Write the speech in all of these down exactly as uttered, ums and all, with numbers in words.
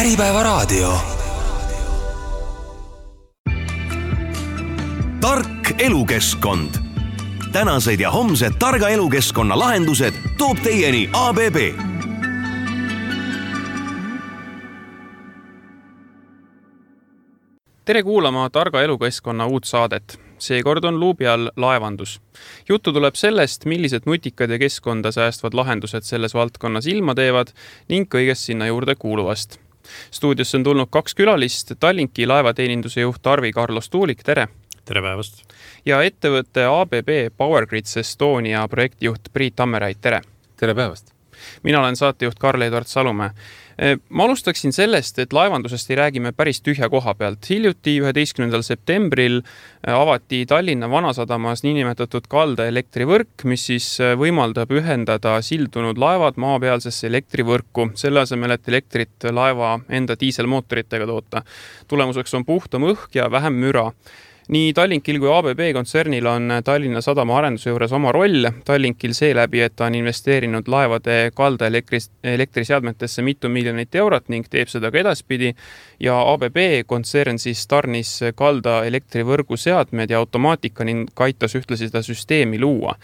Äripäevaraadio. Tark elukeskkond. Tänased ja homsed targa elukeskkonna lahendused toob teieni A B B. Tere kuulama targa elukeskkonna uut saadet. Seekord on luubi all laevandus. Juttu tuleb sellest, millised nutikad ja keskkonda säästvad lahendused selles valdkonnas ilma teevad ning kõigest sinna juurde kuuluvast. Stuudiosse on tulnud kaks külalist, Tallinki laevateeninduse juht Arvi-Karlo Stuulik, tere! Tere päevast! Ja ettevõtte A B B PowerGrids Estonia projektijuht Priit Tammerait, tere! Tere päevast! Mina olen saatejuht Karl-Edvard Salumäe. Ma alustaksin sellest, et laevandusest ei räägime päris tühja koha pealt. Hiljuti üheteistkümnendal septembril avati Tallinna Vanasadamas niinimetatud kaldaelektrivõrk, mis siis võimaldab ühendada sildunud laevad maapealsesse elektrivõrku, selle asemel, et elektrit laeva enda diiselmootoritega toota. Tulemuseks on puhtam õhk ja vähem müra. Nii Tallinkil kui A B B kontsernil on Tallinna Sadama arenduse juures oma roll. Tallinkil seeläbi, et ta on investeerinud laevade kalda elektriseadmetesse mitu miljonit eurot ning teeb seda ka edaspidi. Ja A B B kontsern siis tarnis kalda elektrivõrgu seadmed ja automaatika ning aitas ühtlasi seda süsteemi luua.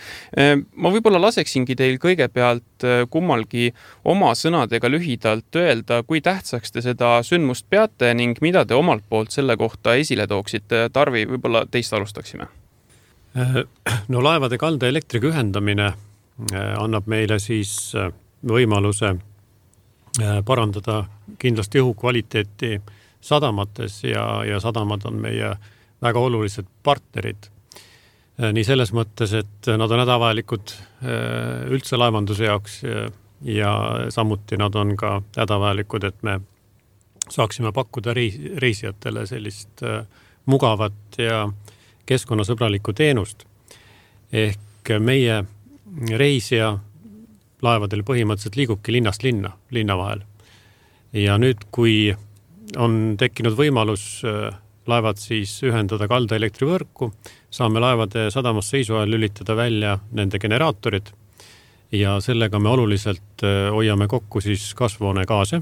Ma võib-olla laseksingi teil kõigepealt kummalgi oma sõnadega lühidalt öelda, kui tähtsaks te seda sündmust peate ning mida te omalt poolt selle kohta esile tooksite. Tarvi, võib-olla teist alustaksime. No laevade kalda elektriga ühendamine annab meile siis võimaluse parandada kindlasti õhu kvaliteeti sadamates ja, ja sadamad on meie väga olulised partnerid. Nii selles mõttes, et nad on hädavajalikud üldse laevanduse jaoks ja samuti nad on ka hädavajalikud, et me saaksime pakkuda reisijatele sellist mugavat ja keskkonnasõbralikku teenust. Ehk meie reisija laevadel põhimõtteliselt liigubki linnast linna, linna vahel. Ja nüüd, kui on tekkinud võimalus laevad siis ühendada kalda elektrivõrku, saame laevade sadamas seisu ajal lülitada välja nende generaatorid ja sellega me oluliselt hoiame kokku siis kasvuhoonegaase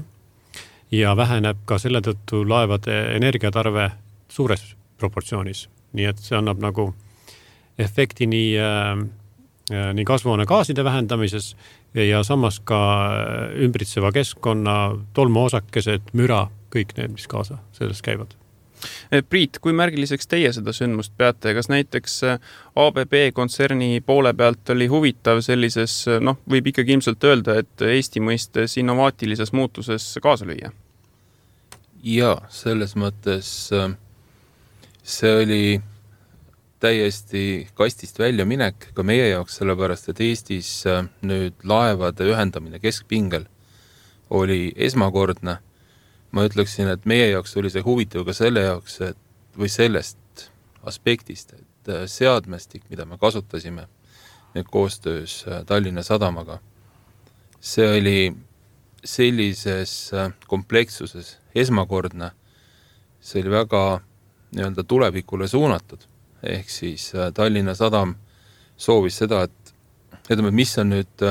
ja väheneb ka selle tõttu laevade energiatarve suures proportsioonis. Nii et see annab nagu efekti nii, äh, nii kasvuhoonegaaside vähendamises ja samas ka ümbritseva keskkonna tolmuosakesed, müra, kõik need, mis kaasa selles käivad. Priit, kui märgiliseks teie seda sündmust peate? Kas näiteks A B B kontserni poole pealt oli huvitav sellises, noh, võib ikkagi ilmselt öelda, et Eesti mõistes innovaatilises muutuses kaasa lüüa? Ja, selles mõttes see oli täiesti kastist välja minek ka meie jaoks, sellepärast, et Eestis nüüd laevade ühendamine keskpingel oli esmakordne. Ma ütleksin, et meie jaoks oli see huvitav ka selle jaoks, et, või sellest aspektist, et seadmestik, mida me kasutasime nüüd koostöös Tallinna Sadamaga, see oli sellises komplekssuses esmakordne, see oli väga nii-öelda tulevikule suunatud. Ehk siis Tallinna Sadam soovis seda, et ütleme, mis on nüüd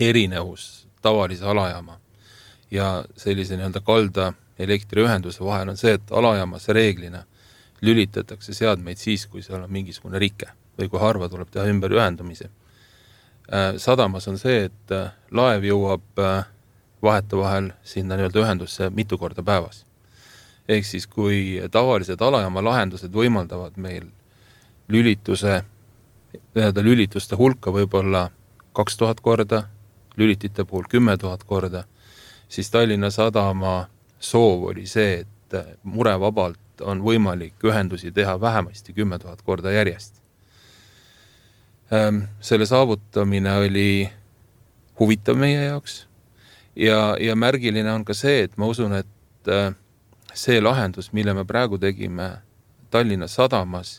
erinevus tavalise alajaama ja sellise nii-öelda kalda elektriühenduse vahel on see, et alajaamas reeglina lülitatakse seadmeid siis, kui seal on mingisugune rike või kui harva tuleb teha ümber ühendamisi. Sadamas on see, et laev jõuab vaheta vahel sinna nii-öelda ühendusse mitu korda päevas. Ehk siis, kui tavalised alajaama lahendused võimaldavad meil lülituse, lülituste hulka võib-olla kaks tuhat korda, lülitite puhul kümme tuhat korda, siis Tallinna Sadama soov oli see, et murevabalt on võimalik ühendusi teha vähemasti kümme tuhat korda järjest. Selle saavutamine oli huvitav meie jaoks ja, ja märgiline on ka see, et ma usun, et see lahendus, mille me praegu tegime Tallinna Sadamas,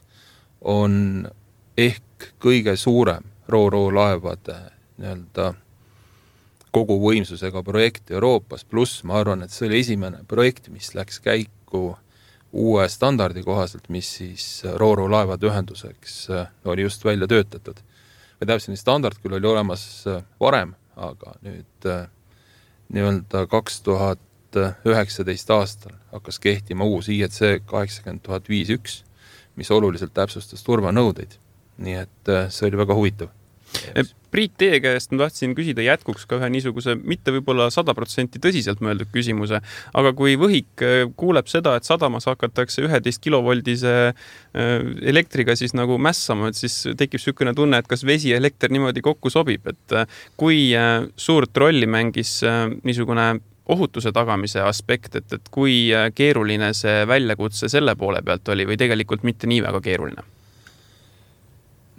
on ehk kõige suurem ro-ro laevade nii-öelda kogu võimsusega projekt Euroopas, pluss ma arvan, et see oli esimene projekt, mis läks käiku uue standardi kohaselt, mis siis ro-ro laevade ühenduseks oli just välja töötatud. Või täpselt standard küll oli olemas varem, aga nüüd nii-öelda kaks tuhat tuhat üheksateist aastal hakkas kehtima uus I E C kaheksakümmend tuhat viis üks, mis oluliselt täpsustas turvanõudeid. Nii et see oli väga huvitav. Priit, teie käest ma tahtsin küsida jätkuks ka ühe niisuguse mitte võib-olla sada protsenti tõsiselt mõeldud küsimuse, aga kui võhik kuuleb seda, et sadamas hakatakse üheteist kilovoldise elektriga siis nagu mässama, et siis tekib sükene tunne, et kas vesi ja elekter niimoodi kokku sobib, et kui suurt rolli mängis niisugune ohutuse tagamise aspekt, et, et kui keeruline see väljakutse selle poole pealt oli või tegelikult mitte nii väga keeruline?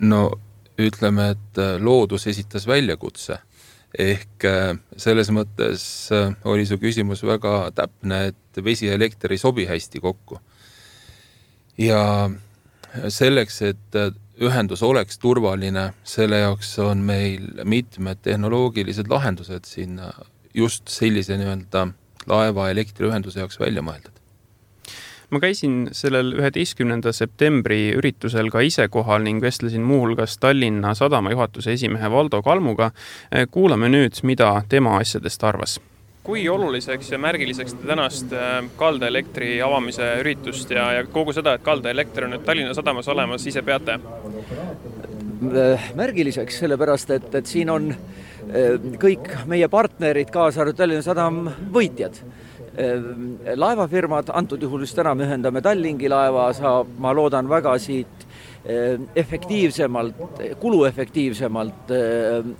No ütleme, et loodus esitas väljakutse. Ehk selles mõttes oli su küsimus väga täpne, et vesi ja elekter ei sobi hästi kokku. Ja selleks, et ühendus oleks turvaline, selle jaoks on meil mitmed tehnoloogilised lahendused siin just sellise nii-öelda laeva elektriühenduse jaoks välja mõeldud. Ma käisin sellel üheteistkümnenda septembri üritusel ka ise kohal ning vestlesin muuhulgas Tallinna Sadama juhatuse esimehe Valdo Kalmuga. Kuulame nüüd, mida tema asjadest arvas. Kui oluliseks ja märgiliseks te tänast kaldaelektri avamise üritust ja, ja kogu seda, et kaldaelekter on nüüd Tallinna Sadamas olemas, ise peate? Märgiliseks, sellepärast, et, et siin on kõik meie partnerid, kaasa arvatud Tallinna Sadam võitjad. Laevafirmad, antud juhul just täna me ühendame Tallingi laeva, saab, ma loodan väga siit efektiivsemalt, kuluefektiivsemalt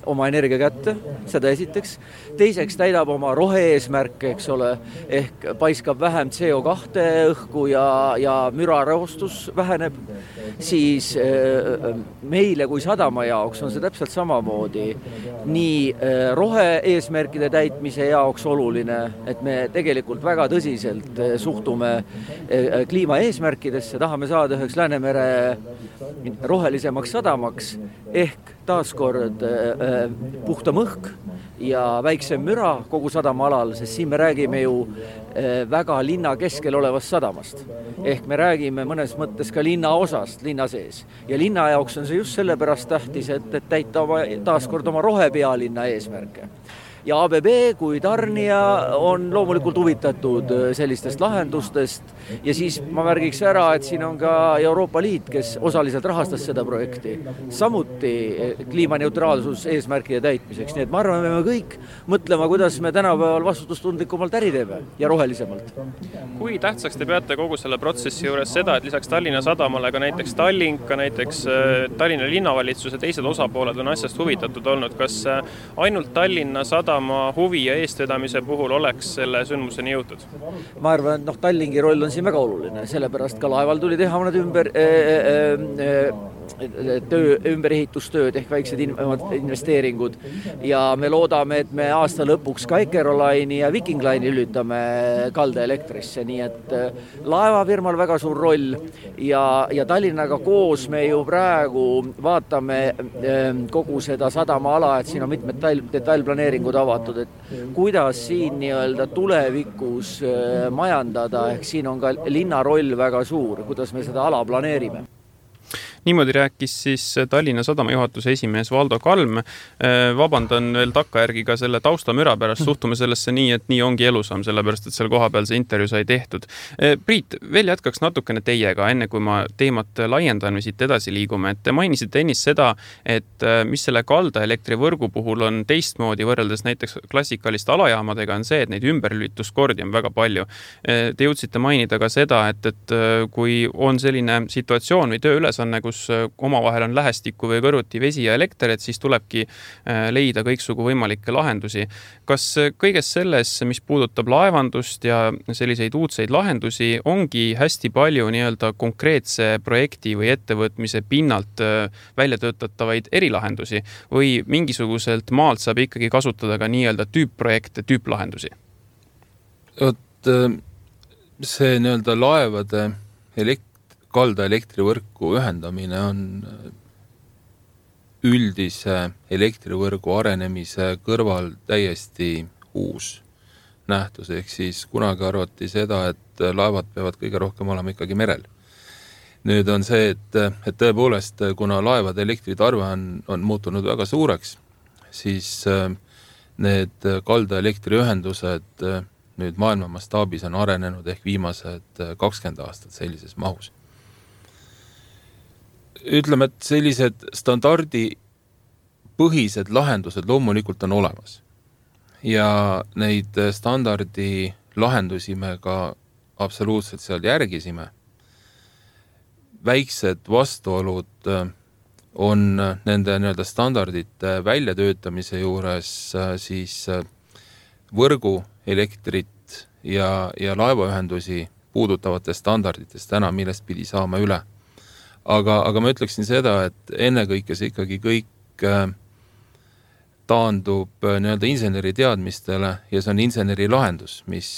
oma energia kätte, seda esiteks. Teiseks täidab oma rohe-eesmärke, eks ole, ehk paiskab vähem C O kahe õhku ja, ja mürareostus väheneb. Siis meile kui sadama jaoks on see täpselt samamoodi nii rohe-eesmärkide täitmise jaoks oluline, et me tegelikult väga tõsiselt suhtume kliimaeesmärkidesse, tahame saada üheks Läänemere rohelisemaks sadamaks ehk taaskord äh, puhtam õhk ja väiksem müra kogu sadama alal, sest siin me räägime ju äh, väga linna keskel olevast sadamast. Ehk me räägime mõnes mõttes ka linna osast linna sees. Ja linna jaoks on see just sellepärast tähtis, et, et täita oma, taaskord oma rohepealinna eesmärke. Ja A B B kui tarnija on loomulikult huvitatud sellistest lahendustest ja siis ma märgiks ära, et siin on ka Euroopa Liit, kes osaliselt rahastas seda projekti. Samuti kliimaneutraalsus eesmärkide täitmiseks. Nii et ma arvan, me kõik mõtlema, kuidas me tänapäeval vastutustundlikumalt äri teeme ja rohelisemalt. Kui tähtsaks te peate kogu selle protsessi juures seda, et lisaks Tallinna Sadamale ka näiteks Tallink, ka näiteks Tallinna linnavalitsuse teised osapooled on asjast huvitatud olnud? Kas ainult Tallinna Sadama Sadama huvi ja eestvedamise puhul oleks selle sündmuseni jõutud? Ma arvan, et noh, Tallingi roll on siin väga oluline, sellepärast ka laeval tuli teha mõned ümber äh, äh, töö, ümberehitustööd ehk väiksed investeeringud ja me loodame, et me aasta lõpuks ka Ekeroline'i ja Viking Line'i lülitame kaldaelektrisse, nii et laevafirmal väga suur roll ja, ja Tallinnaga koos me ju praegu vaatame kogu seda sadama ala, et siin on mitmed detailplaneeringud avatud, et kuidas siin nii-öelda tulevikus majandada, ehk siin on ka linna roll väga suur, kuidas me seda ala planeerime. Niimoodi rääkis siis Tallinna Sadama juhatuse esimees Valdo Kalm. Vabandan veel takkajärgi ka selle taustamüra pärast, suhtume sellesse nii, et nii ongi elusam, sellepärast, et selle koha peal see intervjuu sai tehtud. Priit, veel jätkaks natukene teiega, enne kui ma teemat laiendan või siit edasi liigume, et te mainisite ennist seda, et mis selle kaldaelektrivõrgu puhul on teistmoodi võrreldes näiteks klassikaliste alajaamadega on see, et neid ümberlülituskordi on väga palju. Te jõudsite mainida ka seda, et, et kui on selline situatsioon või tööülesanne, kus omavahel on lähestikku või kõrvuti vesi ja elekter, et siis tulebki leida kõiksugu võimalikke lahendusi. Kas kõiges selles, mis puudutab laevandust ja selliseid uudseid lahendusi, ongi hästi palju nii-öelda konkreetse projekti või ettevõtmise pinnalt välja töötatavaid erilahendusi või mingisuguselt maalt saab ikkagi kasutada ka nii-öelda tüüpprojekte, tüüplahendusi? Oot, see nii-öelda laevade elekt- kalda elektrivõrku ühendamine on üldise elektrivõrgu arenemise kõrval täiesti uus nähtus, ehk siis kunagi arvati seda, et laevad peavad kõige rohkem olema ikkagi merel. Nüüd on see, et, et tõepoolest, kuna laevade elektritarve on, on muutunud väga suureks, siis need kalda elektriühendused nüüd maailma mastaabis on arenenud ehk viimased kakskümmend aastat sellises mahus. Ütleme, et sellised standardi põhised lahendused loomulikult on olemas. Ja neid standardi lahendusi me ka absoluutselt seal järgisime. Väiksed vastuolud on nende nii-öelda standardite väljatöötamise juures siis võrgu, elektrit ja, ja laevaühendusi puudutavate standarditest täna, millest pidi saama üle. Aga, aga ma ütleksin seda, et ennekõike see ikkagi kõik taandub nii-öelda inseneri teadmistele ja see on inseneri lahendus, mis,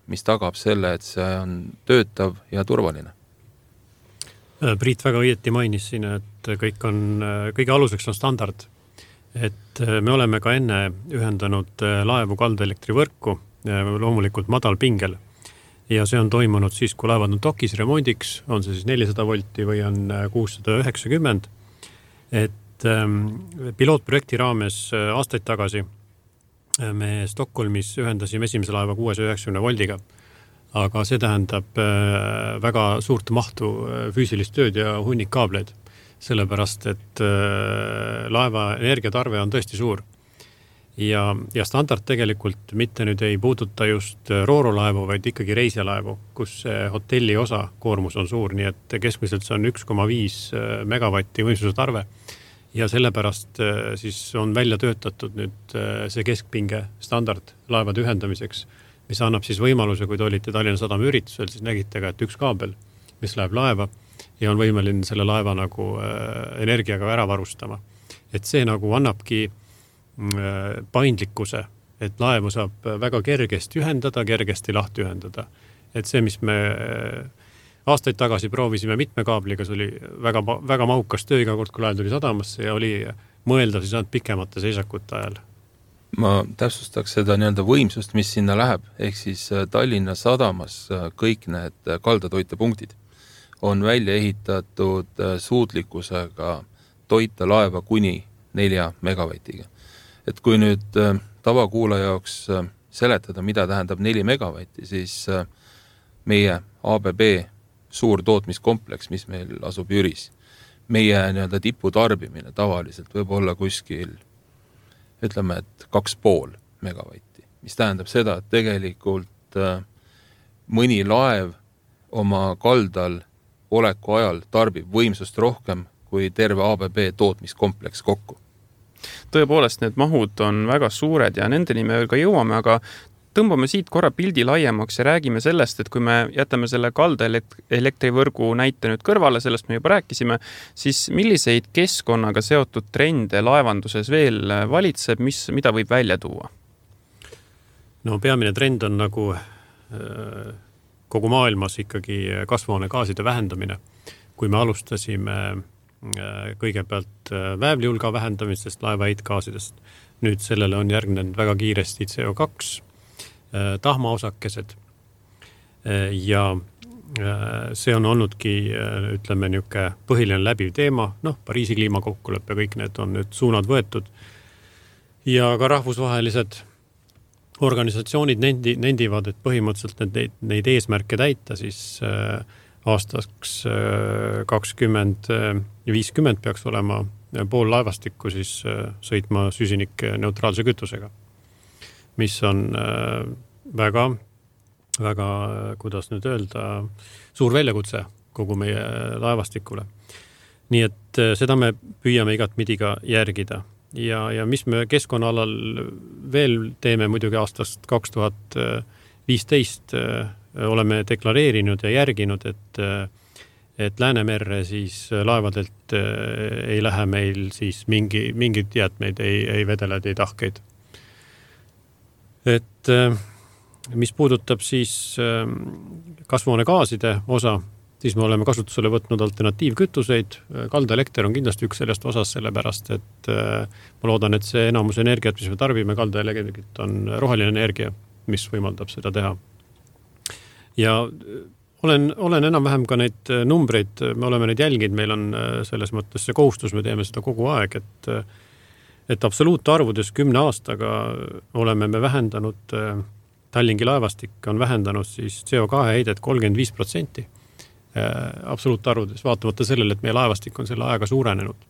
mis tagab selle, et see on töötav ja turvaline. Priit väga õieti mainis siin, et kõik on, kõige aluseks on standard. Et me oleme ka enne ühendanud laevu kaldaelektrivõrku, loomulikult madal pingel. Ja see on toimunud siis, kui laevad on dokis remondiks, on see siis nelisada volti või on kuussada üheksakümmend. Et pilootprojekti raames aastaid tagasi me Stockholmis ühendasime esimese laeva kuuesaja üheksakümne voldiga. Aga see tähendab väga suurt mahtu füüsilist tööd ja hunnik kaableid, sellepärast, et laeva energiatarve on tõesti suur. Ja, ja standard tegelikult mitte nüüd ei puuduta just roorolaevu, vaid ikkagi reisijalaevu, kus hotelli osa koormus on suur, nii et keskmiselt see on üks koma viis megavatti võimsuse tarve. Ja sellepärast siis on välja töötatud nüüd see keskpinge standard laevade ühendamiseks, mis annab siis võimaluse, kui te olite Tallinna Sadama üritusel, siis nägite ka, et üks kaabel, mis läheb laeva ja on võimeline selle laeva nagu energiaga ära varustama. Et see nagu annabki paindlikkuse, et laevu saab väga kergesti ühendada, kergesti lahti ühendada. Et see, mis me aastaid tagasi proovisime mitme kaabliga, see oli väga, väga mahukas töö iga kord, kui laev tuli sadamasse ja oli mõeldav siis ainult pikemate seisakute ajal. Ma täpsustaks seda nii-öelda võimsust, mis sinna läheb, ehk siis Tallinna Sadamas kõik need kaldatoitepunktid on välja ehitatud suutlikkusega toita laeva kuni nelja megavatiga. Et kui nüüd tavakuulaja jaoks seletada, mida tähendab neli megavatti, siis meie A B B suur tootmiskompleks, mis meil asub Jüris, meie nii-öelda tipu tarbimine tavaliselt võib olla kuskil ütleme, et kaks pool megavatti, mis tähendab seda, et tegelikult mõni laev oma kaldal oleku ajal tarbib võimsust rohkem kui terve A B B tootmiskompleks kokku. Tõepoolest, need mahud on väga suured ja nendeni me veel ka jõuame, aga tõmbame siit korra pildi laiemaks ja räägime sellest, et kui me jätame selle kalda elektrivõrgu näite nüüd kõrvale, sellest me juba rääkisime, siis milliseid keskkonnaga seotud trende laevanduses veel valitseb, mis, mida võib välja tuua? No peamine trend on nagu kogu maailmas ikkagi kasvuhoonegaaside vähendamine. Kui me alustasime kõigepealt väävlihulga vähendamisest, laeva heitgaasidest, nüüd sellele on järgnenud väga kiiresti C O kaks, tahmaosakesed ja see on olnudki, ütleme, niuke põhiline läbiv teema, noh, Pariisi kliimakokkulepe, kõik need on nüüd suunad võetud ja ka rahvusvahelised organisatsioonid nendi, nendivad, et põhimõtteliselt neid, neid eesmärke täita, siis aastaks kakskümmend viiskümmend peaks olema pool laevastikku siis sõitma süsinik neutraalse kütusega, mis on väga, väga, kuidas nüüd öelda, suur väljakutse kogu meie laevastikule. Nii et seda me püüame igat midiga järgida. Ja, ja mis me keskkonnaalal veel teeme muidugi aastast kaks tuhat viisteist oleme deklareerinud ja järginud, et, et Läänemerre siis laevadelt ei lähe meil siis mingi, mingid jäätmeid, ei, ei vedeled, ei tahkeid. Et mis puudutab siis kasvuhoonegaaside osa, siis me oleme kasutusele võtnud alternatiivkütuseid. Kaldaelekter on kindlasti üks sellest osas, sellepärast, et ma loodan, et see enamus energiat, mis me tarbime kaldaelektrit, on roheline energia, mis võimaldab seda teha. Ja olen, olen enam-vähem ka neid numbreid, me oleme neid jälginud, meil on selles mõttes see kohustus, me teeme seda kogu aeg, et, et absoluutarvudes kümne aastaga oleme me vähendanud Tallinki laevastik on vähendanud siis C O kahe heidet kolmkümmend viis protsenti absoluutarvudes, vaatamata sellele, et meie laevastik on selle aega suurenenud.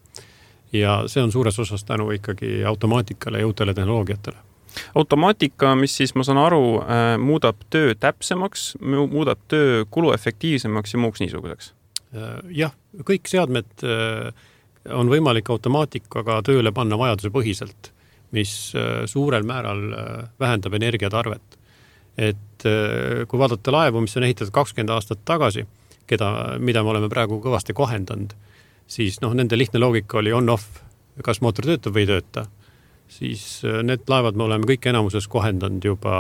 Ja see on suures osas tänu ikkagi automaatikale ja uutele tehnoloogiatele. Automaatika, mis siis, ma saan aru, muudab töö täpsemaks, muudab töö kuluefektiivsemaks ja muuks niisuguseks? Jah, kõik seadmed on võimalik automaatikaga tööle panna vajaduse põhiselt, mis suurel määral vähendab energiatarvet. Et kui vaadata laevu, mis on ehitatud kakskümmend aastat tagasi, keda, mida me oleme praegu kõvasti kohendanud, siis noh, nende lihtne loogika oli on-off, kas mootor töötab või ei tööta. Siis need laevad me oleme kõik enamuses kohendanud juba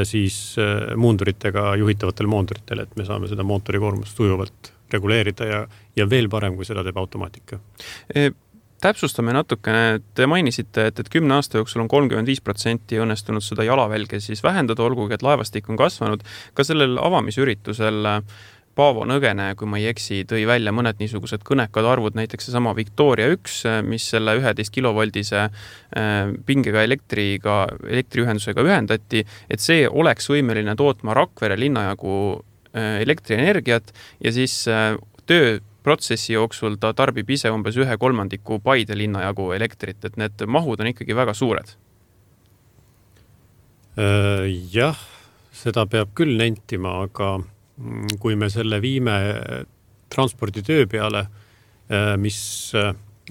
siis muunduritega juhitavatel moonduritele, et me saame seda mootori koormust sujuvalt reguleerida ja, ja veel parem, kui seda teeb automaatika. E, täpsustame natukene, te mainisite, et, et kümne aasta jooksul on kolmkümmend viis protsenti õnnestunud seda jalavälge siis vähendada, olgugi, et laevastik on kasvanud. Ka sellel avamisüritusel Paavo Nõgene, kui ma ei eksi, tõi välja mõned niisugused kõnekad arvud, näiteks see sama Victoria üks, mis selle üheteist kilovoldise pingega elektriga, elektriühendusega ühendati, et see oleks võimeline tootma Rakvere linnajagu elektrienergiat ja siis tööprotsessi jooksul ta tarbib ise umbes ühe kolmandiku Paide linnajagu elektrit, et need mahud on ikkagi väga suured. Jah, seda peab küll nentima, aga kui me selle viime transporditöö peale, mis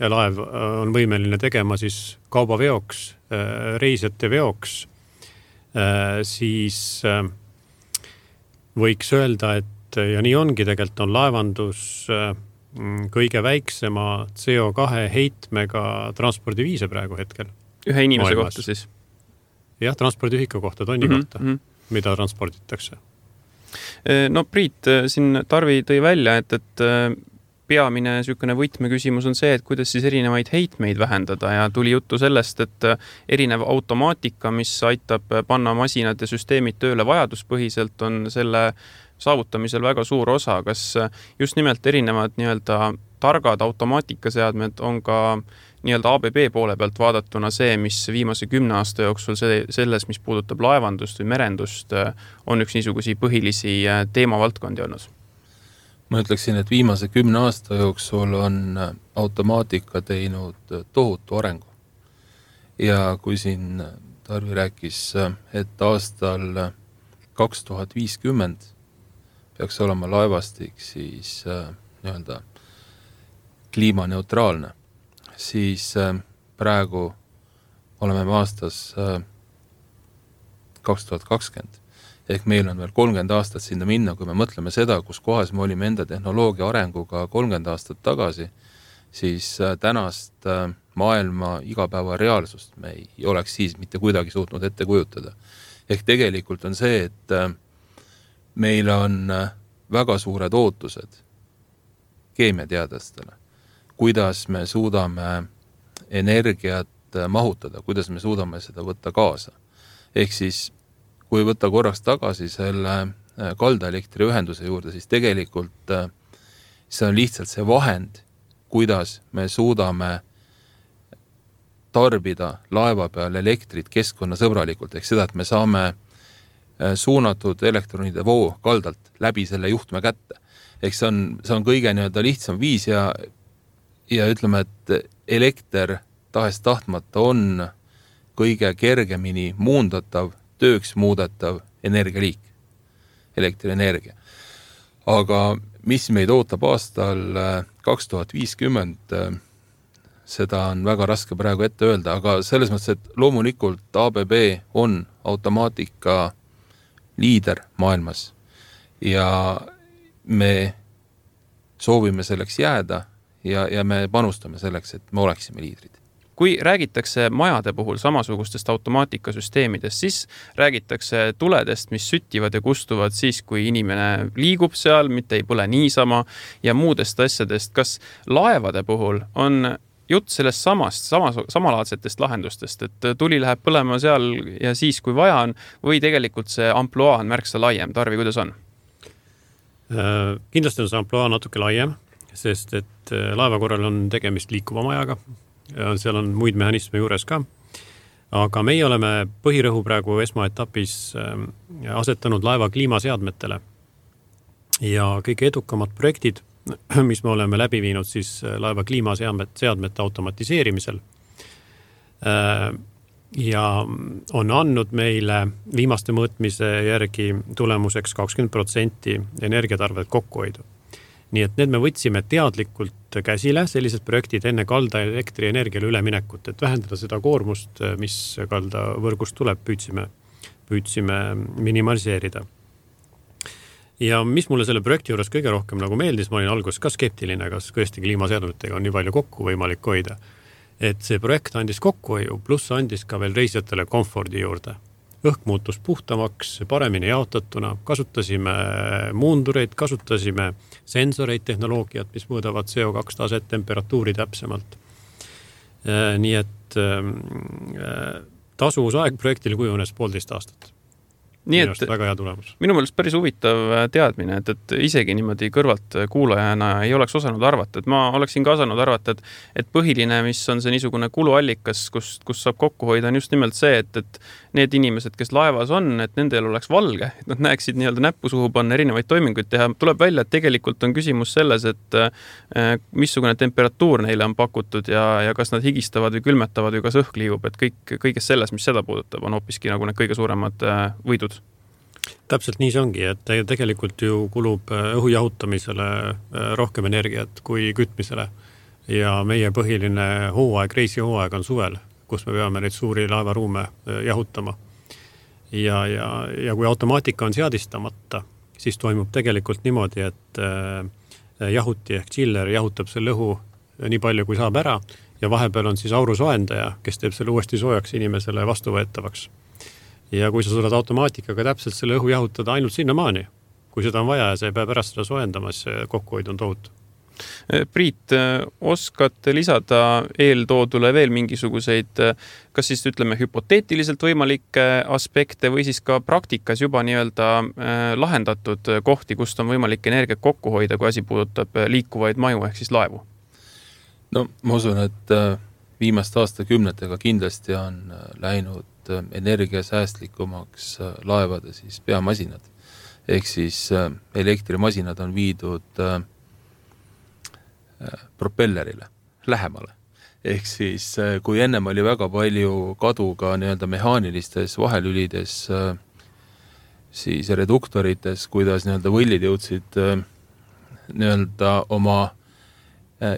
laev on võimeline tegema siis kaubaveoks, reisijate veoks, siis võiks öelda, et ja nii ongi tegelikult on laevandus kõige väiksema C O kahe heitmega transpordiviise praegu hetkel. Ühe inimese maailmas. Kohta siis? Jah, transpordiühiku kohta, tonni mm-hmm. kohta, mida transporditakse. No Priit, siin Tarvi tõi välja, et, et peamine sükene võtmeküsimus on see, et kuidas siis erinevaid heitmeid vähendada ja tuli juttu sellest, et erinev automaatika, mis aitab panna masinad ja süsteemid tööle vajaduspõhiselt, on selle saavutamisel väga suur osa. Kas just nimelt erinevad nii-öelda targad automaatikaseadmed on ka nii-öelda A B B poole pealt vaadatuna see, mis viimase kümne aasta jooksul see, selles, mis puudutab laevandust või merendust, on üks niisugusi põhilisi teemavaldkondi olnud? Ma ütleksin, et viimase kümne aasta jooksul on automaatika teinud tohutu arengu. Ja kui siin Tarvi rääkis, et aastal kaks tuhat viiskümmend peaks olema laevastik siis nii-öelda kliimaneutraalne, siis praegu oleme aastas kaks tuhat kakskümmend. Ehk meil on veel kolmkümmend aastat sinna minna, kui me mõtleme seda, kus kohas me olime enda tehnoloogia arenguga kolmkümmend aastat tagasi, siis tänast maailma igapäeva reaalsust me ei oleks siis mitte kuidagi suutnud ette kujutada. Ehk tegelikult on see, et meil on väga suured ootused keemiateadlastele, kuidas me suudame energiat mahutada, kuidas me suudame seda võtta kaasa. Ehk siis, kui võtta korraks tagasi selle kaldaelektriühenduse juurde, siis tegelikult see on lihtsalt see vahend, kuidas me suudame tarbida laeva peal elektrit keskkonnasõbralikult, ehk seda, et me saame suunatud elektronide voo kaldalt läbi selle juhtme kätte. Ehk see on, see on kõige nii-öelda lihtsam viis ja Ja ütleme, et elekter tahes tahtmata on kõige kergemini muundatav, tööks muudetav energialiik, elektrienergia. Aga mis meid ootab aastal kaks tuhat viiskümmend, seda on väga raske praegu ette öelda, aga selles mõttes, et loomulikult A B B on automaatika liider maailmas ja me soovime selleks jääda, Ja, ja me panustame selleks, et me oleksime liidrid. Kui räägitakse majade puhul samasugustest automaatikasüsteemidest, siis räägitakse tuledest, mis süttivad ja kustuvad siis, kui inimene liigub seal, mitte ei põle niisama ja muudest asjadest. Kas laevade puhul on jutt sellest samast, samas, samalaadsetest lahendustest, et tuli läheb põlema seal ja siis, kui vaja on, või tegelikult see amploa on märksa laiem? Tarvi, kuidas on? Kindlasti on see amploa natuke laiem, sest et laeva korral on tegemist liikuva majaga ja seal on muid mehhanisme juures ka. aga meie oleme põhirõhu praegu esmaetapis asetanud laeva kliimaseadmetele ja kõige edukamad projektid, mis me oleme läbi viinud siis laeva kliimaseadmete automatiseerimisel ja on andnud meile viimaste mõõtmise järgi tulemuseks kakskümmend protsenti energiatarvet kokkuhoidu. Nii et need me võtsime teadlikult käsile, sellised projektid enne kalda elektrienergiale üleminekut, et vähendada seda koormust, mis kalda võrgust tuleb, püüdsime, püüdsime minimaliseerida. Ja mis mulle selle projekti juures kõige rohkem nagu meeldis, ma olin alguses ka skeptiline, kas tõesti kliimaseadmetega on nii palju kokku võimalik hoida. Et see projekt andis kokkuhoiu, pluss andis ka veel reisijatele komfordi juurde. Õhk muutus puhtamaks, paremini jaotatuna, kasutasime muundureid, kasutasime sensoreid, tehnoloogiat, mis mõõdavad C O kaks taset, temperatuuri täpsemalt. Nii et tasuvusaeg projektile kujunes poolteist aastat. Nii et väga hea tulemus. Minu meelest päris huvitav teadmine, et, et isegi niimoodi kõrvalt kuulajana ei oleks osanud arvata, et ma oleksin ka osanud arvata, et, et põhiline, mis on see niisugune kuluallikas, kus, kus saab kokku hoida, on just nimelt see, et, et need inimesed, kes laevas on, et nendel oleks valge, et nad näeksid nii-öelda näppu suhu panna erinevaid toiminguid teha. Tuleb välja, et tegelikult on küsimus selles, et missugune temperatuur neile on pakutud ja, ja kas nad higistavad või külmetavad või kas õhk liigub, et kõik, kõiges selles, mis seda puudutab, on hoopiski nagu need kõige suuremad võidud. Täpselt nii see ongi, et tegelikult ju kulub õhu jahutamisele rohkem energiat kui kütmisele ja meie põhiline hooaeg, reisihooaeg on suvel, kus me peame neid suuri laevaruume jahutama. Ja, ja, ja kui automaatika on seadistamata, siis toimub tegelikult niimoodi, et jahuti ehk chiller jahutab selle õhu nii palju, kui saab ära ja vahepeal on siis aurusoendaja, kes teeb selle uuesti soojaks inimesele vastuvõetavaks. Ja kui sa suudad automaatikaga täpselt selle õhu jahutada ainult sinna maani, kui seda on vaja ja see peab pärast seda soojendamas, kokkuhoid on tohutu. Priit, oskad lisada eeltoodule veel mingisuguseid, kas siis ütleme hüpoteetiliselt võimalikke aspekte või siis ka praktikas juba nii-öelda lahendatud kohti, kust on võimalik energiat kokku hoida, kui asi puudutab liikuvaid maju ehk siis laevu? No ma usun, et viimaste aastakümnetega kindlasti on läinud energiasäästlikumaks laevade siis peamasinad. Ehk siis elektrimasinad on viidud propellerile lähemale. Ehk siis kui ennem oli väga palju kadu ka nii-öelda mehaanilistes vahelülides, siis reduktorites, kuidas nii-öelda võllid jõudsid nii-öelda oma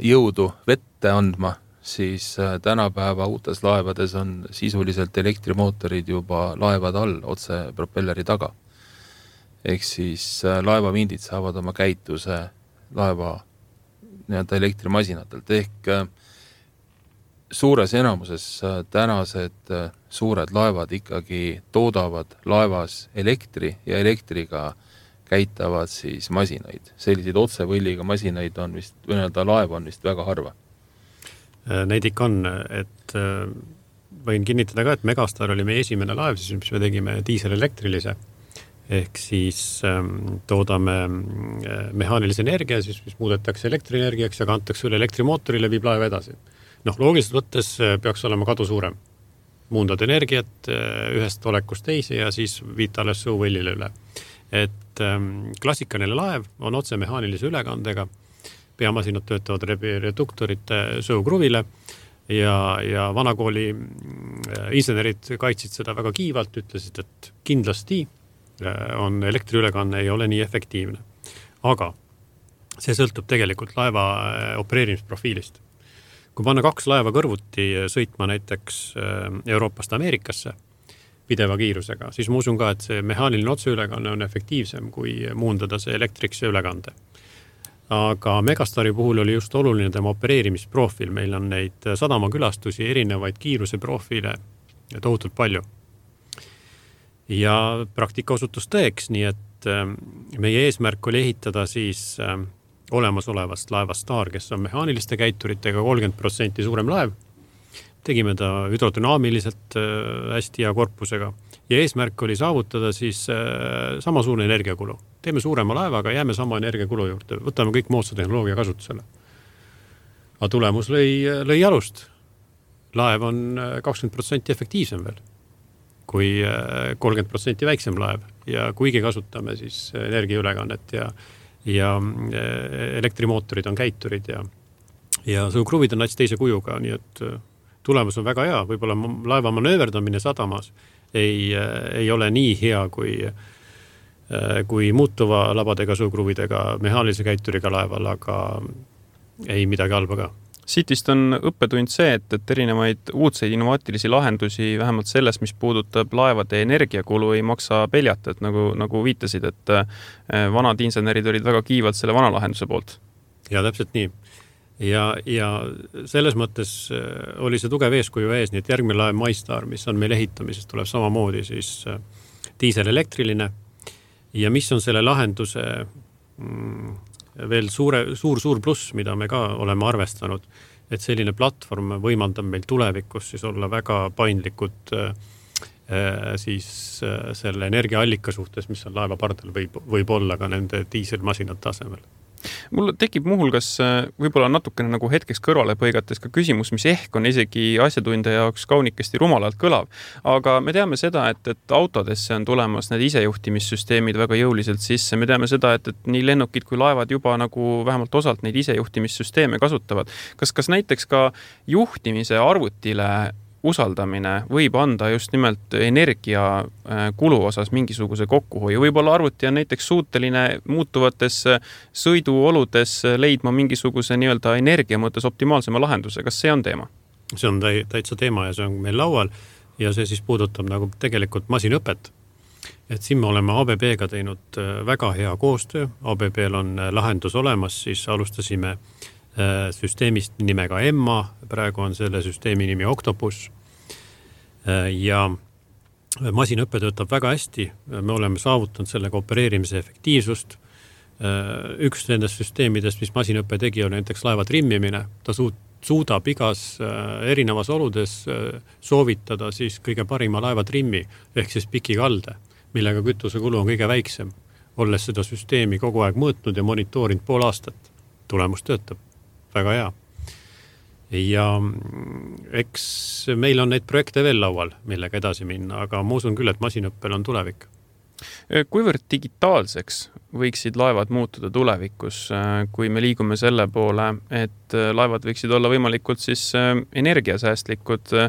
jõudu vette andma, siis tänapäeva uutes laevades on sisuliselt elektrimootorid juba laevad all, otse propelleri taga. Ehk siis laevavindid saavad oma käituse laeva nii-öelda elektrimasinatelt. Ehk suures enamuses tänased suured laevad ikkagi toodavad laevas elektri ja elektriga käitavad siis masinaid. Selliseid otsevõlliga masinaid on vist, või nii-öelda laev on vist väga harva. Neid ikka on, et võin kinnitada ka, et Megastar oli meie esimene laev, siis mis me tegime diiselelektrilise, ehk siis toodame mehaanilise energia, siis mis muudetakse elektrienergiaks ja kantakse üle elektrimootorile, viib laeva edasi. Noh, loogiliselt võttes peaks olema kadu suurem. Muundad energiat ühest olekust teise ja siis viid alles sõuvõllile üle. Et klassikaline laev on otse mehaanilise ülekandega, peamasinad töötavad reduktorite sõukruvile ja, ja vanakooli insenerid kaitsid seda väga kiivalt, ütlesid, et kindlasti on elektriülekanne ei ole nii efektiivne. Aga see sõltub tegelikult laeva opereerimisprofiilist. Kui panna kaks laeva kõrvuti sõitma näiteks Euroopast Ameerikasse pideva kiirusega, siis ma usun ka, et see mehaaniline otseülekanne on efektiivsem kui muundada see elektrikse ülekande. Aga Megastari puhul oli just oluline tema opereerimisprofiil. Meil on neid sadamakülastusi, erinevaid kiiruse profiile tohutult palju. Ja praktika osutus tõeks, nii et meie eesmärk oli ehitada siis olemasolevast laevast Star, kes on mehaaniliste käituritega kolmkümmend protsenti suurem laev. Tegime ta hüdrodünaamiliselt hästi hea korpusega ja eesmärk oli saavutada siis sama suure energiakulu. Teeme suurema laevaga, jääme sama energiakulu juurde, võtame kõik moodsa tehnoloogia kasutusele. Aga tulemus lõi, lõi alust. laev on kakskümmend protsenti efektiivsem veel kui kolmkümmend protsenti väiksem laev ja kuigi kasutame siis energiaülekannet ja, ja elektrimootorid on käiturid ja, ja sõukruvid on nats teise kujuga, nii et tulemus on väga hea, võib-olla laeva manööverdamine sadamas ei, ei ole nii hea kui, kui muutuva labadega sõukruvidega, mehaalise käituriga laeval, aga ei midagi halba ka. Sitist on õppetund see, et, et erinevaid uudseid innovaatilisi lahendusi, vähemalt selles, mis puudutab laevade energiakulu, ei maksa peljata, et nagu, nagu viitasid, et vanad insenerid olid väga kiivad selle vana lahenduse poolt. Ja täpselt nii. Ja, ja selles mõttes oli see tugev eeskuju ees, nii et järgmine laev MyStar, mis on meil ehitamises, tuleb samamoodi siis diiselelektriline ja mis on selle lahenduse mm, veel suure, suur, suur pluss, mida me ka oleme arvestanud, et selline platvorm võimaldab meil tulevikus siis olla väga paindlikud äh, siis äh, selle energiaallika suhtes, mis on laeva pardal võib, võib olla ka nende diiselmasinate asemel. Mul tekib muuhulgas võib-olla natukene nagu hetkeks kõrvale põigates ka küsimus, mis ehk on isegi asjatundja jaoks kaunikesti rumalalt kõlav. Aga me teame seda, et, et autodesse on tulemas need isejuhtimissüsteemid väga jõuliselt sisse. Me teame seda, et, et nii lennukid kui laevad juba nagu vähemalt osalt neid isejuhtimissüsteeme kasutavad. Kas, kas näiteks ka juhtimise arvutile usaldamine võib anda just nimelt energia kulu osas mingisuguse kokkuhoiu. Võib-olla arvuti on näiteks suuteline muutuvates sõiduoludes leidma mingisuguse nii-öelda energia mõttes optimaalsema lahenduse. Kas see on teema? See on täitsa teema ja see on meil laual ja see siis puudutab nagu tegelikult masinõpet. Et siin me oleme A B B-ga teinud väga hea koostöö. A B B-l on lahendus olemas, siis alustasime süsteemist nimega Emma, praegu on selle süsteemi nimi Octopus ja masinõppe töötab väga hästi, me oleme saavutanud selle koopereerimise efektiivsust. Üks nendest süsteemidest, mis masinõppe tegi, on näiteks laeva trimmimine, ta suudab igas erinevas oludes soovitada siis kõige parima laeva trimmi ehk siis pikikalde, millega kütusekulu on kõige väiksem, olles seda süsteemi kogu aeg mõõtnud ja monitoorinud pool aastat, tulemus töötab. Väga hea. Ja eks meil on neid projekte veel laual, millega edasi minna, aga ma usun küll, et masinõppel on tulevik. Kuivõrd digitaalseks võiksid laevad muutuda tulevikus, kui me liigume selle poole, et laevad võiksid olla võimalikult siis energiasäästlikud?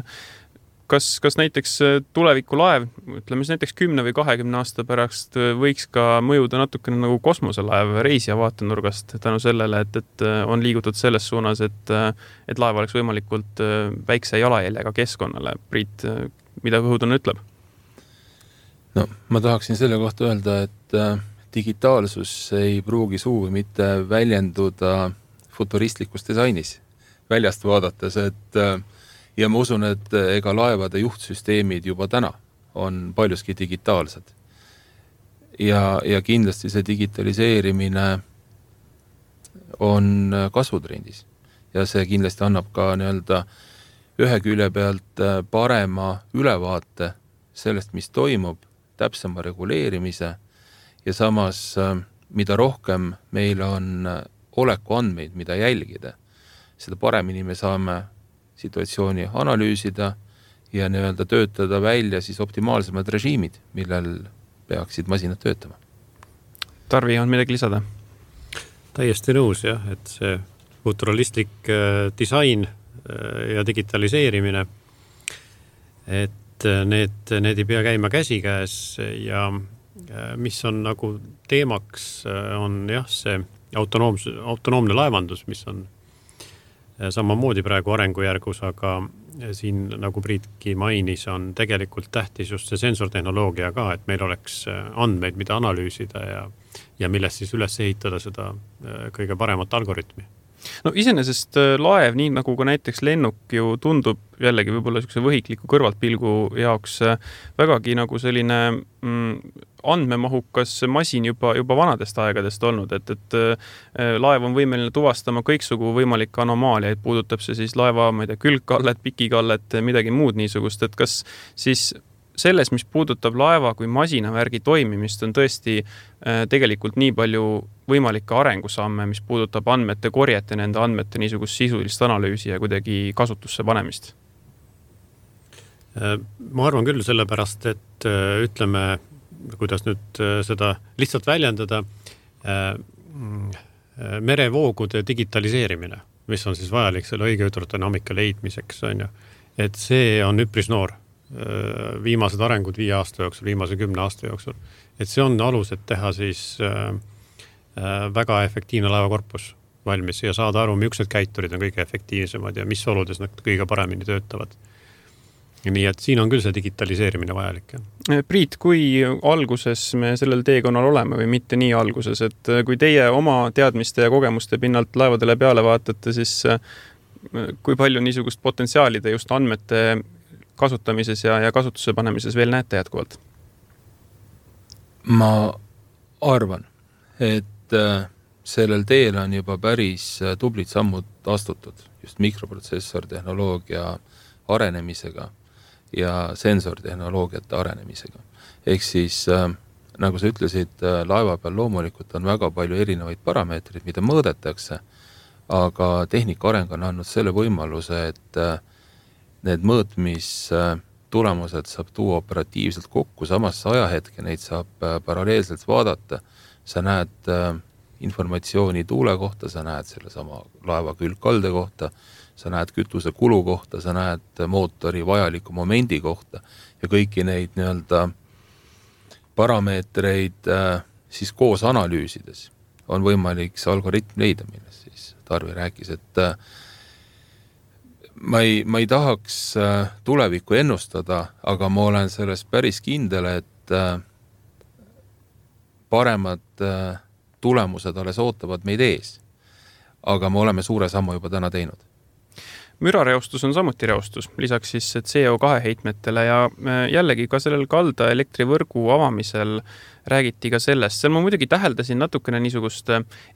Kas, kas näiteks tuleviku laev, ütleme näiteks kümne või kahekümne aasta pärast võiks ka mõjuda natukene nagu kosmoselaev reisija vaatenurgast tänu sellele, et, et on liigutud selles suunas, et, et laev oleks võimalikult väikse jalajäljega keskkonnale. Priit, mida Õhutõnn ütleb? No, ma tahaksin selle kohta öelda, et digitaalsus ei pruugi suugi mitte väljenduda futuristlikus disainis väljast vaadates, et ja ma usun, et ega laevade juhtsüsteemid juba täna on paljuski digitaalsed. Ja, ja kindlasti see digitaliseerimine on kasvutrendis. Ja see kindlasti annab ka nii-öelda ühe külje pealt parema ülevaate sellest, mis toimub, täpsema reguleerimise ja samas, mida rohkem meil on oleku andmeid, mida jälgida, seda paremini me saame situatsiooni analüüsida ja nii-öelda töötada välja siis optimaalsemad režiimid, millel peaksid masinad töötama. Tarvi, on midagi lisada? Täiesti nõus, jah, et see futuralistlik disain ja digitaliseerimine, et need, need ei pea käima käsikäes ja mis on nagu teemaks, on jah, see autonoomse, autonoomne laevandus, mis on samamoodi praegu arengujärgus, aga siin, nagu Priitki mainis, on tegelikult tähtis just see sensortehnoloogia ka, et meil oleks andmeid, mida analüüsida ja, ja millest siis üles ehitada seda kõige paremat algoritmi. No iseenesest laev, nii nagu ka näiteks lennuk ju tundub jällegi võib-olla niisuguse võhikliku kõrvaltpilgu jaoks vägagi nagu selline mm, andmemahukas masin juba, juba vanadest aegadest olnud, et, et laev on võimeline tuvastama kõiksugu võimalikke anomaaliaid, puudutab see siis laeva, ma ei tea, külgkallet, pikikallet, midagi muud niisugust, et kas siis selles, mis puudutab laeva kui masinavärgi toimimist, on tõesti äh, tegelikult nii palju võimalikke arengusamme, mis puudutab andmete korjet ja nende andmete niisugust sisulist analüüsi ja kuidagi kasutusse panemist? Ma arvan küll sellepärast, et ütleme, kuidas nüüd seda lihtsalt väljendada, merevoogude digitaliseerimine, mis on siis vajalik selle õige hüdrodünaamika leidmiseks, on ju. Et see on üpris noor, viimased arengud viie aasta jooksul, viimase kümne aasta jooksul. Et see on alus, et teha siis väga efektiivne laevakorpus valmis ja saada aru, millised käiturid on kõige efektiivsemad ja mis oludes nad kõige paremini töötavad. Nii et siin on küll see digitaliseerimine vajalik. Priit, kui alguses me sellel teekonnal oleme või mitte nii alguses, et kui teie oma teadmiste ja kogemuste pinnalt laevadele peale vaatate, siis kui palju niisugust potentsiaali te just andmete kasutamises ja, ja kasutuse panemises veel näete jätkuvalt? Ma arvan, et sellel teel on juba päris tublid sammud astutud just mikroprotsessortehnoloogia arenemisega ja sensortehnoloogiate arenemisega. Ehk siis, äh, nagu sa ütlesid, äh, laeva peal loomulikult on väga palju erinevaid parameetreid, mida mõõdetakse, aga tehnika areng on andnud selle võimaluse, et äh, need mõõtmis äh, tulemused saab tuua operatiivselt kokku, samasse ajahetke neid saab äh, paralleelselt vaadata. Sa näed äh, informatsiooni tuule kohta, sa näed selle sama laeva külgkalde kohta, sa näed kütuse kulu kohta, sa näed mootori vajaliku momendi kohta ja kõiki neid nii-öelda parameetreid äh, siis koos analüüsides on võimalik see algoritm leida, millest siis Tarvi rääkis, et äh, ma, ei, ma ei tahaks äh, tulevikku ennustada, aga ma olen selles päris kindel, et äh, paremad äh, tulemused alles ootavad meid ees. Aga me oleme suure sammu juba täna teinud. Mürareostus on samuti reostus, lisaks siis C O kahe heitmetele ja jällegi ka sellel kalda elektrivõrgu avamisel räägiti ka sellest. Seal ma muidugi täheldasin natukene niisugust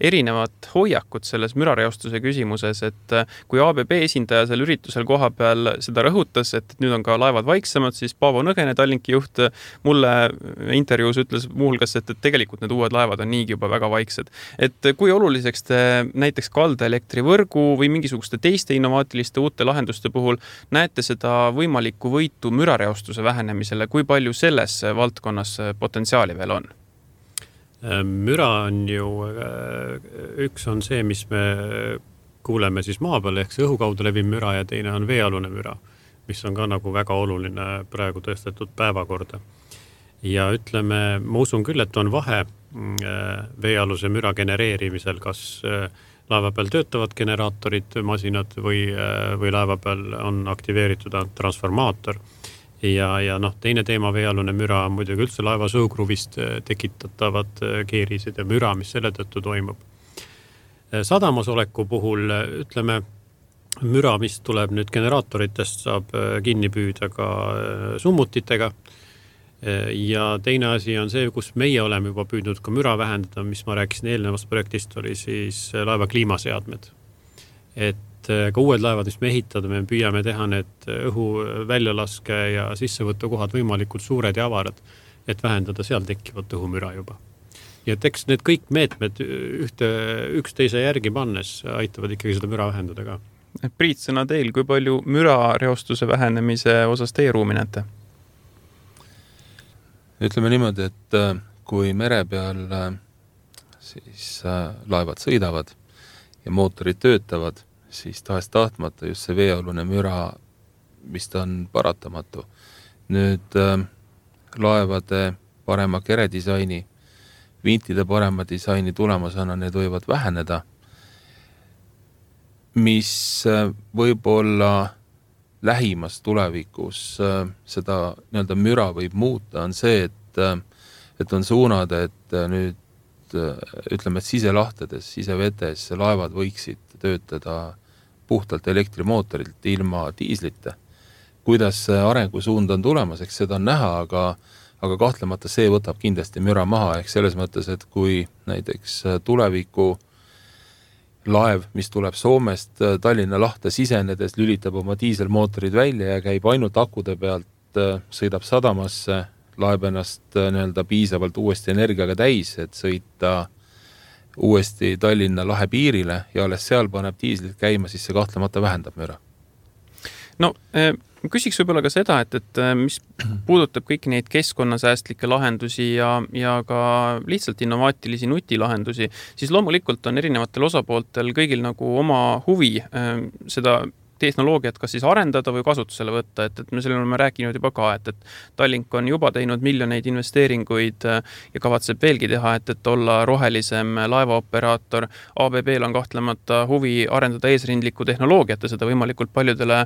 erinevat hoiakut selles mürareostuse küsimuses, et kui A B B esindaja seal üritusel koha peal seda rõhutas, et nüüd on ka laevad vaiksemad, siis Paavo Nõgene, Tallinki juht, mulle intervjuus ütles muuhulgas, et, et tegelikult need uued laevad on niigi juba väga vaiksed. Et kui oluliseks te näiteks kalda elektrivõrgu või mingisuguste teiste innovaatiliste uute lahenduste puhul näete seda võimalikku võitu mürareostuse vähenemisele, kui palju selles valdkonnas potentsiaali veel on? Müra on ju, üks on see, mis me kuuleme siis maa peal, ehk see õhu kaudu leviv müra ja teine on veealune müra, mis on ka nagu väga oluline praegu tõstetud päevakorda. Ja ütleme, ma usun küll, et on vahe veealuse müra genereerimisel, kas laeva peal töötavad generaatorid, masinad või, või laeva peal on aktiveeritud transformaator. Ja, ja noh, teine teema veealune müra on muidugi üldse laeva sõugruvist tekitatavad keerised ja müra, mis selle tõttu toimub. Sadamas oleku puhul, ütleme, müra, mis tuleb nüüd generaatoritest, saab kinni püüda ka summutitega. Ja teine asi on see, kus meie oleme juba püüdnud ka müra vähendada, mis ma rääkisin eelnevast projektist, oli siis laeva kliimaseadmed. Et ka uued laevad, mis me ehitame, me püüame teha need õhu väljalaske ja sissevõtukohad võimalikult suured ja avarad, et vähendada seal tekkivat õhumüra juba. Ja et eks need kõik meetmed ühte, üksteise järgi pannes aitavad ikkagi seda müra vähendada ka. Priit, sõna teil, kui palju mürareostuse vähenemise osas teie ruumi näete? Ütleme niimoodi, et kui mere peal siis laevad sõidavad ja mootorid töötavad, siis tahest tahtmata just see veealune müra, mis ta on paratamatu. Nüüd äh, laevade parema keredisaini, vintide parema disaini tulemusena need võivad väheneda, mis äh, võib-olla lähimas tulevikus äh, seda nii-öelda müra võib muuta, on see, et, äh, et on suunad, et äh, nüüd äh, ütleme, et siselahtedes, sisevetes laevad võiksid töötada puhtalt elektrimootorilt ilma diislite. Kuidas arengusuund on tulemas, eks seda on näha, aga, aga kahtlemata see võtab kindlasti müra maha, ehk selles mõttes, et kui näiteks tuleviku laev, mis tuleb Soomest Tallinna lahte sisenedes, lülitab oma diiselmootorid välja ja käib ainult akude pealt, sõidab sadamasse, laeb ennast nii-öelda piisavalt uuesti energiaga täis, et sõita uuesti Tallinna lahe piirile ja alles seal paneb diislit käima, siis see kahtlemata vähendab müra. no küsiks võib-olla ka seda, et, et mis puudutab kõiki neid keskkonnasäästlikke lahendusi ja, ja ka lihtsalt innovaatilisi nutilahendusi, siis loomulikult on erinevatel osapooltel kõigil nagu oma huvi seda tehnoloogiat kas siis arendada või kasutusele võtta, et, et me sellele oleme rääkinud juba ka, et, et Tallink on juba teinud miljoneid investeeringuid ja kavatseb veelgi teha, et, et olla rohelisem laevaoperaator. A B B-l on kahtlemata huvi arendada eesrindlikku tehnoloogiat ja seda võimalikult paljudele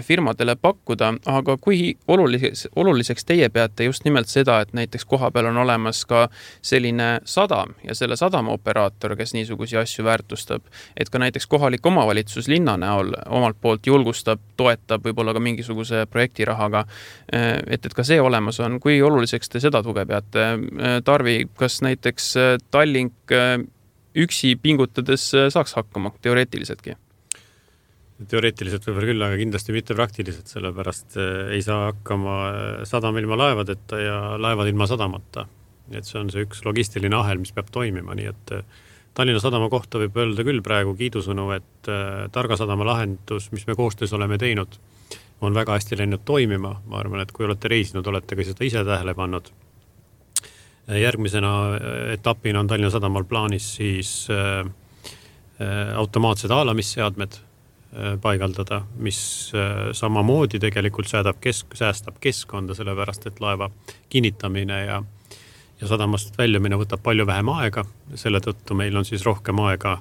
firmadele pakkuda, aga kui oluliseks, oluliseks teie peate just nimelt seda, et näiteks koha peal on olemas ka selline sadam ja selle sadama operaator, kes niisugusi asju väärtustab, et ka näiteks kohalik omavalitsus linna näol omalt poolt julgustab, toetab võib-olla ka mingisuguse projektirahaga, et, et ka see olemas on. Kui oluliseks te seda tuge peate? Tarvi, kas näiteks Tallink üksi pingutades saaks hakkama teoreetiliseltki? Teoreetiliselt võib-olla küll, aga kindlasti mitte praktiliselt, sellepärast ei saa hakkama sadam ilma laevadeta ja laevad ilma sadamata. Et see on see üks logistiline ahel, mis peab toimima, nii et Tallinna sadama kohta võib öelda küll praegu kiidusõnu, et Targa sadama lahendus, mis me koostöös oleme teinud, on väga hästi läinud toimima. Ma arvan, et kui olete reisinud, olete ka seda ise tähele pannud. Järgmisena etapina on Tallinna sadamal plaanis siis automaatsed haalamisseadmed paigaldada, mis samamoodi tegelikult säädab kesk, säästab keskkonda, sellepärast et laeva kinnitamine ja ja sadamast väljumine võtab palju vähem aega, selle tõttu meil on siis rohkem aega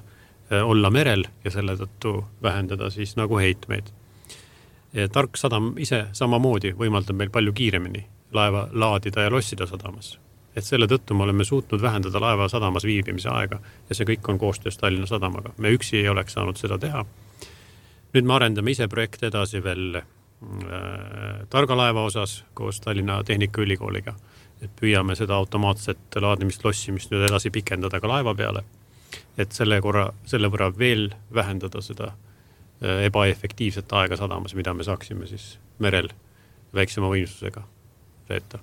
olla merel ja selle tõttu vähendada siis nagu heitmeid. Tark sadam ise samamoodi võimaldab meil palju kiiremini laeva laadida ja lossida sadamas. Et selle tõttu me oleme suutnud vähendada laeva sadamas viibimise aega ja see kõik on koostöös Tallinna sadamaga. Me üksi ei oleks saanud seda teha. Nüüd me arendame ise projekte edasi veel äh, Targa laeva osas koos Tallinna Tehnikaülikooliga. Et püüame seda automaatset laadimist, lossimist nüüd edasi pikendada ka laeva peale, et selle, korra, selle võrra veel vähendada seda ebaefektiivset aega sadamas, mida me saaksime siis merel väiksema võimsusega veeta.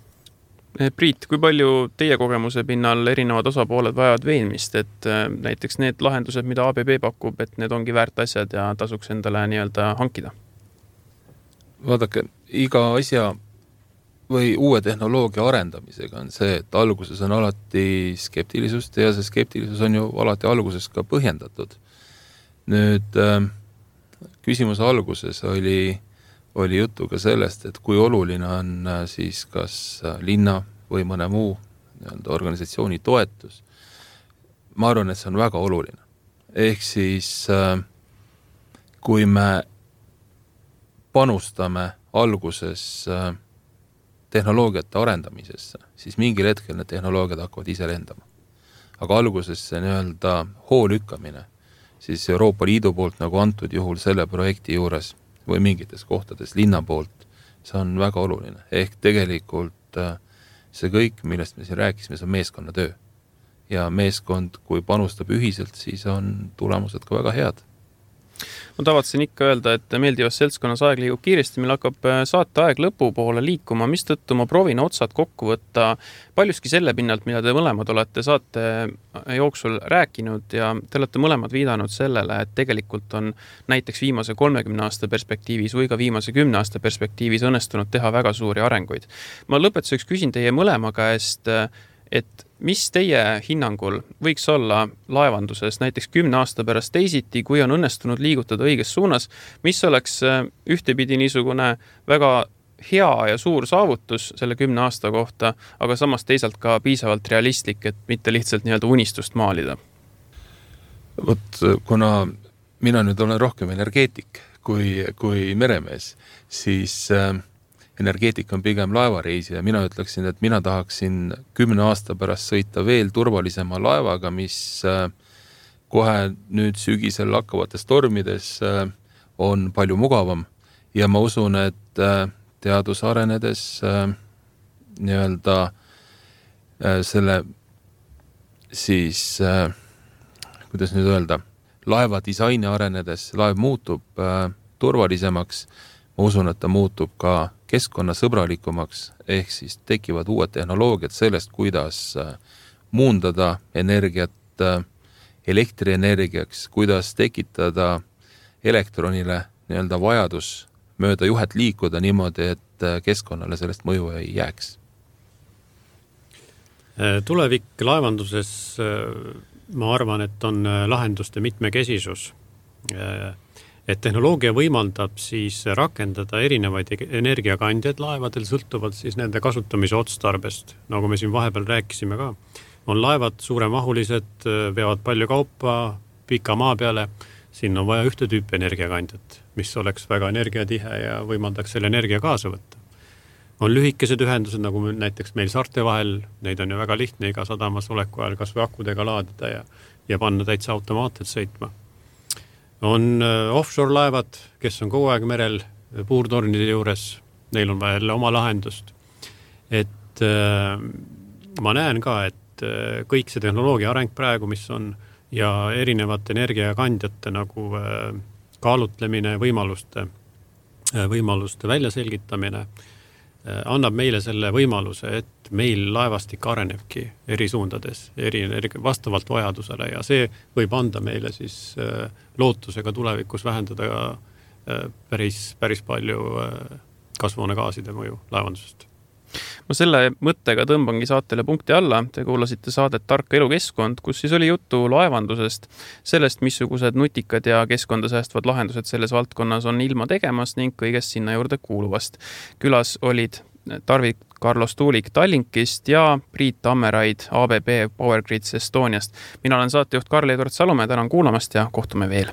Priit, kui palju teie kogemuse pinnal erinevad osapooled vajavad veenmist, et näiteks need lahendused, mida A B B pakub, et need ongi väärt asjad ja tasuks endale nii-öelda hankida? Vaadake, iga asja või uue tehnoloogia arendamisega on see, et alguses on alati skeptilisust ja see skeptilisus on ju alati alguses ka põhjendatud. Nüüd küsimuse alguses oli, oli juttu ka sellest, et kui oluline on siis kas linna või mõne muu nii-öelda organisatsiooni toetus. Ma arvan, et see on väga oluline. Ehk siis kui me panustame alguses tehnoloogiate arendamisesse, siis mingil hetkel need tehnoloogiad hakkavad ise lendama. Aga alguses see nii-öelda hoolükkamine, siis Euroopa Liidu poolt nagu antud juhul selle projekti juures või mingites kohtades linna poolt, see on väga oluline. Ehk tegelikult see kõik, millest me siin rääkisime, see on meeskonnatöö. Ja meeskond, kui panustab ühiselt, siis on tulemused ka väga head. Ma tavatsen ikka öelda, et meeldivas seltskonnas aeg liigub kiiresti, meil hakkab saate aeg lõpu poole liikuma, mis tõttu ma proovin otsad kokku võtta paljuski selle pinnalt, mida te mõlemad olete saate jooksul rääkinud ja te olete mõlemad viidanud sellele, et tegelikult on näiteks viimase kolmekümne aasta perspektiivis või ka viimase kümne aasta perspektiivis õnnestunud teha väga suuri arenguid. Ma lõpetuseks küsin teie mõlema käest, et mis teie hinnangul võiks olla laevanduses näiteks kümne aasta pärast teisiti, kui on õnnestunud liigutada õiges suunas, mis oleks ühtepidi niisugune väga hea ja suur saavutus selle kümne aasta kohta, aga samas teisalt ka piisavalt realistlik, et mitte lihtsalt nii-öelda unistust maalida? Vot, kuna mina nüüd olen rohkem energeetik kui, kui meremees, siis äh, energeetik on pigem laevareisi ja mina ütleksin, et mina tahaksin kümne aasta pärast sõita veel turvalisema laevaga, mis kohe nüüd sügisel hakkavates tormides on palju mugavam ja ma usun, et teadus arenedes nii-öelda selle siis, kuidas nüüd öelda, laeva disaini arenedes laev muutub turvalisemaks, ma usun, et ta muutub ka keskkonnasõbralikumaks, ehk siis tekivad uued tehnoloogiad sellest, kuidas muundada energiat elektrienergiaks, kuidas tekitada elektronile nii-öelda vajadus mööda juhet liikuda niimoodi, et keskkonnale sellest mõju ei jääks. Tulevik laevanduses, ma arvan, et on lahenduste mitmekesisus. Et tehnoloogia võimaldab siis rakendada erinevaid energiakandjaid laevadel, sõltuvalt siis nende kasutamise otstarbest. Nagu me siin vahepeal rääkisime ka, on laevad suuremahulised, veavad palju kaupa pika maa peale, siin on vaja ühte tüüpi energiakandjat, mis oleks väga energiatihe ja võimaldaks selle energia kaasa võtta. On lühikesed ühendused, nagu näiteks meil saarte vahel, neid on ju väga lihtne iga sadamas oleku ajal kas või akudega laadida ja, ja panna täitsa automaatselt sõitma. On offshore laevad, kes on kogu aeg merel puurtornide juures, neil on vaja jälle oma lahendust. Et äh, ma näen ka, et äh, kõik see tehnoloogia areng praegu, mis on, ja erinevate energiakandjate nagu äh, kaalutlemine, võimaluste, äh, võimaluste väljaselgitamine, annab meile selle võimaluse, et meil laevastik arenebki eri suundades, eri, vastavalt vajadusele ja see võib anda meile siis lootusega tulevikus vähendada päris, päris palju kasvuhoonegaaside mõju laevandusest. Ma selle mõttega tõmbangi saatele punkti alla. Te kuulasite saadet Tark elukeskkond, kus siis oli juttu laevandusest, sellest, missugused nutikad ja keskkonda säästvad lahendused selles valdkonnas on ilma tegemas ning kõigest sinna juurde kuuluvast. Külas olid Tarvik Carlos Tuulik Tallinkist ja Priit Tammeraid A B B Power Grids Estoniast. Mina olen saatejuht Karl-Edward Salumäe, tänan kuulamast ja kohtume veel.